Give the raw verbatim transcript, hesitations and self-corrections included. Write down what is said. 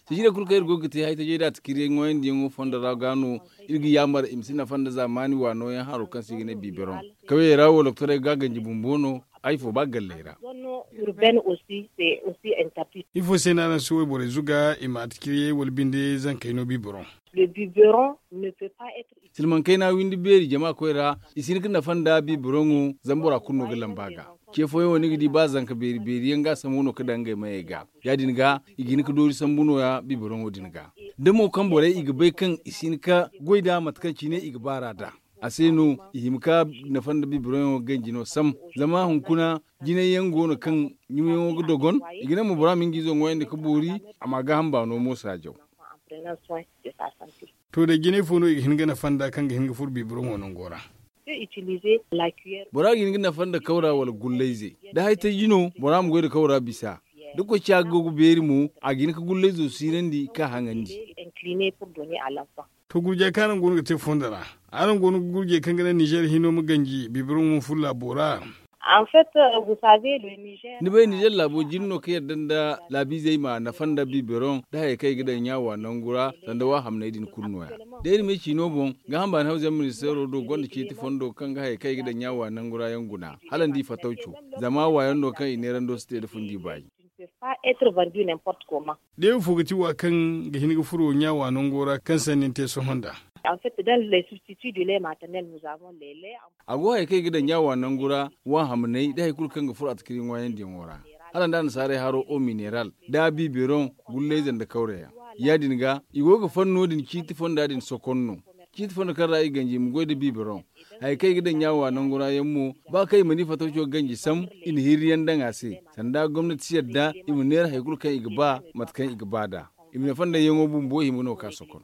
Sijira kulu kaŋ iri go ga te haytajey da tikiriyey ŋwaayandiyaŋo fondo ra ga no iri ga yaamar i ma si nafa nda zaamaani waano yaŋ haro kaŋ se i ga ne biberon kawyey ra wo doktorey ga ganji bumbo no. Ay fo ba galley ra. Ifo se no araŋ si wayborey zuga i ma tikiriyey wala binde zankey no biberon? Silmaŋ kayna windi beeri jama koy ra i si hin ga nafa nda biberoŋo zama bora kulu no ga lamba ga. Ce fooyaŋ wo ni ga di ba zanka beeri beeri yaŋ ga a sambu no ga daŋ ngey mayey ga. Ya- din ga i ga hin ga doori sambu nooya biberoŋo din ga. Da mo kaŋ borey i ga bay kaŋ i si hin ga goy nd'a mate kaŋ cine i ga baar'a nd'a, a se no i hima ga nafa nda biberoŋo ganji no sam. Zama hunkuna jinay yaŋ go no kaŋ ɲumayaŋo ga dogon. I ga ne mo bora ma nga izo ŋwayandi ga boori a ma a gaaham baano moosa jaw. To day jinay fo no i ga hin ga nafa nda kaŋ ga hin ga furo biberoŋo nango ra? Bora ga hin ga nafa nda kawra wala gullayze da haytayji no bora ma goy nda kawra bisa. Da koy ciya ga go ga beeri mo a ga hin ga gullayzo siirandi ka haŋandi. To gurjey kaŋ araŋ go no ga te fondo ra, araŋ go no ga gurjey kaŋ ga naŋ nizer hino ma ganji biberoŋo ma furo laabo ra? Ni bay nizer laabo jin no ka yadda nda laabiizey ma nafa nda biberoŋ da hayey kaŋ i ga daŋ ɲaawa nangu ra. Sanda waahamney din kulu nooya da iri ma ay ciino boŋ gaaham baani hawza yaŋ ministeero do gonda ceeti fondo kaŋ ga hayey kaŋ i ga daŋ ɲaawa nangu ra yaŋ guna hala ni di fatawco. Zama waayaŋ no kaŋ i neerando si te nda fundi baayi. Deewo fo ga ti wa kaŋ ga hin ga furo ɲaawa nango ra kaŋ sanni ni te sohõ nd'a? A go hayey kaŋ i ga daŋ ɲaawa nangu ra, waahamaney da hari kulu kaŋ ga furo atakari ŋwaayandiyaŋo ra, hala nda annasaarey haro o mineral, da biberoŋ, gullayze nda kawreyaŋ. Ya- din ga i go ga fanno din ciiti fonda din sokon no. Ciiti fondo kaŋ ra i ganji i ma goy nda biberoŋ. Hari kaŋ i ga daŋ ɲaawa nangu ra yaŋ mo, ba kaŋ i mana i fatawco ganji sam, i na hirriyaŋ daŋ a se. Sanda gomnati si yadda i ma neera hari kulu kaŋ i ga ba mate kaŋ i ga ba nd'a. I ma ne fonda yaŋo bumbo i hima no ga ka sokon.